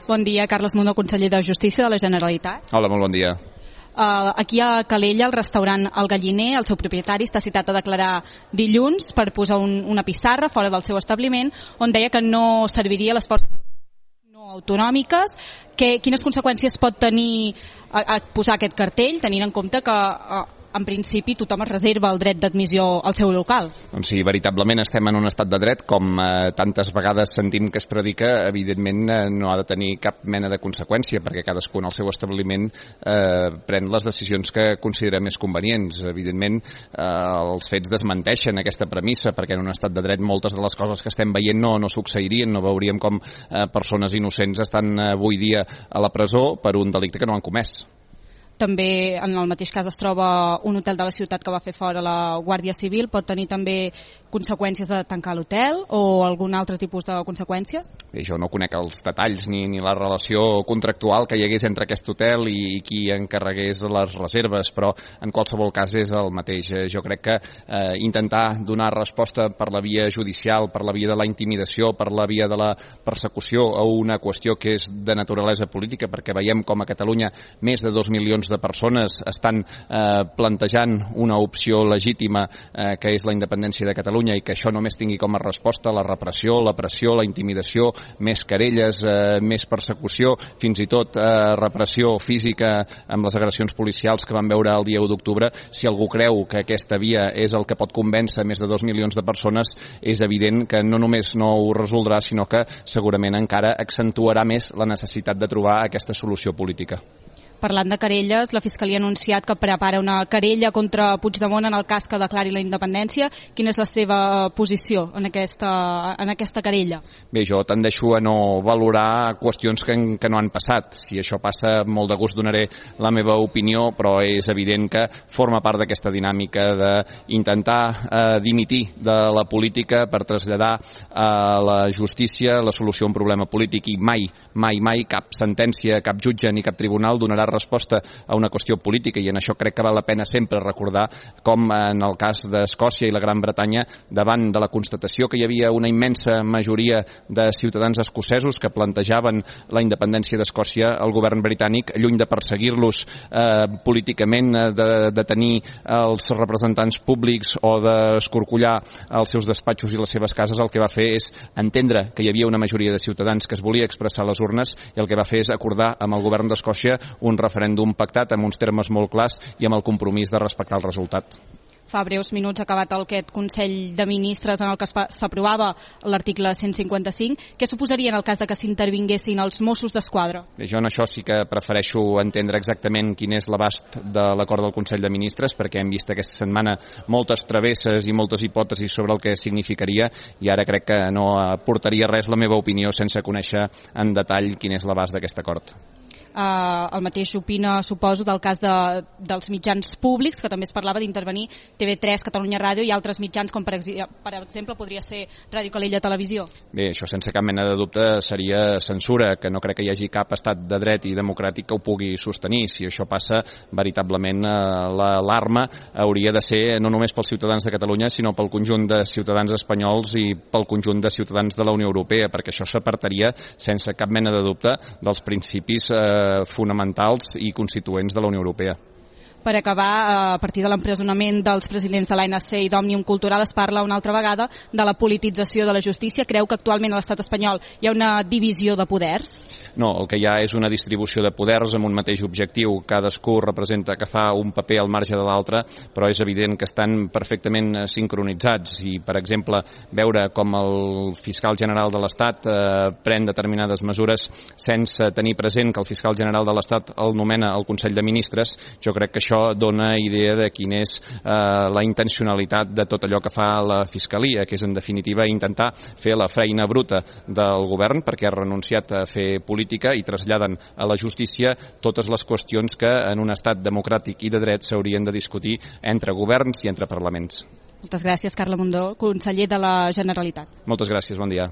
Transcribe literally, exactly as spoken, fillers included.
Bon dia, Carles Mundó, conseller de Justícia de la Generalitat. Hola, molt bon dia. Uh, aquí a Calella, el restaurant El Galliner, el seu propietari està citat a declarar dilluns per posar un, una pissarra fora del seu establiment on deia que no serviria les forces no autonòmiques. Que, quines conseqüències pot tenir a, a posar aquest cartell, tenint en compte que uh, en principi tothom es reserva el dret d'admissió al seu local? Doncs sí, veritablement estem en un estat de dret, com eh, tantes vegades sentim que es predica, evidentment eh, no ha de tenir cap mena de conseqüència, perquè cadascun al seu establiment eh, pren les decisions que considera més convenients. Evidentment, eh, els fets desmenteixen aquesta premissa, perquè en un estat de dret moltes de les coses que estem veient no, no succeirien, no veuríem com eh, persones innocents estan eh, avui dia a la presó per un delicte que no han comès. També en el mateix cas es troba un hotel de la ciutat que va fer fora la Guàrdia Civil. Pot tenir també conseqüències de tancar l'hotel o algun altre tipus de conseqüències? Bé, jo no conec els detalls ni, ni la relació contractual que hi hagués entre aquest hotel i, i qui encarregués les reserves, però en qualsevol cas és el mateix. Jo crec que eh, intentar donar resposta per la via judicial, per la via de la intimidació, per la via de la persecució a una qüestió que és de naturalesa política, perquè veiem com a Catalunya més de dos milions de persones estan eh, plantejant una opció legítima eh, que és la independència de Catalunya i que això només tingui com a resposta la repressió, la pressió, la intimidació, més querelles, eh, més persecució, fins i tot eh, repressió física amb les agressions policials que vam veure el dia u d'octubre. Si algú creu que aquesta via és el que pot convèncer més de dos milions de persones, és evident que no només no ho resoldrà, sinó que segurament encara accentuarà més la necessitat de trobar aquesta solució política. Parlant de querelles, la Fiscalia ha anunciat que prepara una querella contra Puigdemont en el cas que declari la independència. Quina és la seva posició en aquesta, en aquesta querella? Bé, jo tendeixo a no valorar qüestions que, que no han passat. Si això passa, molt de gust donaré la meva opinió, però és evident que forma part d'aquesta dinàmica d'intentar eh, dimitir de la política per traslladar a la justícia la solució a un problema polític, i mai, mai, mai cap sentència, cap jutge ni cap tribunal donarà resposta a una qüestió política, i en això crec que val la pena sempre recordar com en el cas d'Escòcia i la Gran Bretanya, davant de la constatació que hi havia una immensa majoria de ciutadans escocesos que plantejaven la independència d'Escòcia, el govern britànic, lluny de perseguir-los eh, políticament, de, de tenir els representants públics o d'escorcollar els seus despatxos i les seves cases, el que va fer és entendre que hi havia una majoria de ciutadans que es volia expressar a les urnes, i el que va fer és acordar amb el govern d'Escòcia un referèndum pactat amb uns termes molt clars i amb el compromís de respectar el resultat. Fa breus minuts ha acabat aquest Consell de Ministres en el que s'aprovava l'article cent cinquanta-cinc. Què suposaria en el cas de que s'intervinguessin els Mossos d'Esquadra? Bé, jo en això sí que prefereixo entendre exactament quin és l'abast de l'acord del Consell de Ministres, perquè hem vist aquesta setmana moltes travesses i moltes hipòtesis sobre el que significaria, i ara crec que no aportaria res la meva opinió sense conèixer en detall quin és l'abast d'aquest acord. Uh, el mateix opina, suposo, del cas de, dels mitjans públics, que també es parlava d'intervenir T V tres, Catalunya Ràdio i altres mitjans, com per, per exemple podria ser Ràdio Calella Televisió. Bé, això sense cap mena de dubte seria censura, que no crec que hi hagi cap estat de dret i democràtic que ho pugui sostenir. Si això passa, veritablement eh, l'alarma hauria de ser no només pels ciutadans de Catalunya, sinó pel conjunt de ciutadans espanyols i pel conjunt de ciutadans de la Unió Europea, perquè això s'apartaria sense cap mena de dubte dels principis eh, fonamentals i constituents de la Unió Europea. Per acabar, a partir de l'empresonament dels presidents de l'A N C i d'Òmnium Cultural, es parla una altra vegada de la politització de la justícia. Creu que actualment a l'estat espanyol hi ha una divisió de poders? No, el que hi ha és una distribució de poders amb un mateix objectiu. Cadascú representa que fa un paper al marge de l'altre, però és evident que estan perfectament sincronitzats. I, per exemple, veure com el fiscal general de l'Estat eh, pren determinades mesures sense tenir present que el fiscal general de l'Estat el nomena el Consell de Ministres, jo crec que això dona idea de quina és eh, la intencionalitat de tot allò que fa la Fiscalia, que és en definitiva intentar fer la feina bruta del govern, perquè ha renunciat a fer política, i traslladen a la justícia totes les qüestions que en un estat democràtic i de dret s'haurien de discutir entre governs i entre parlaments. Moltes gràcies, Carles Mundó, conseller de la Generalitat. Moltes gràcies, bon dia.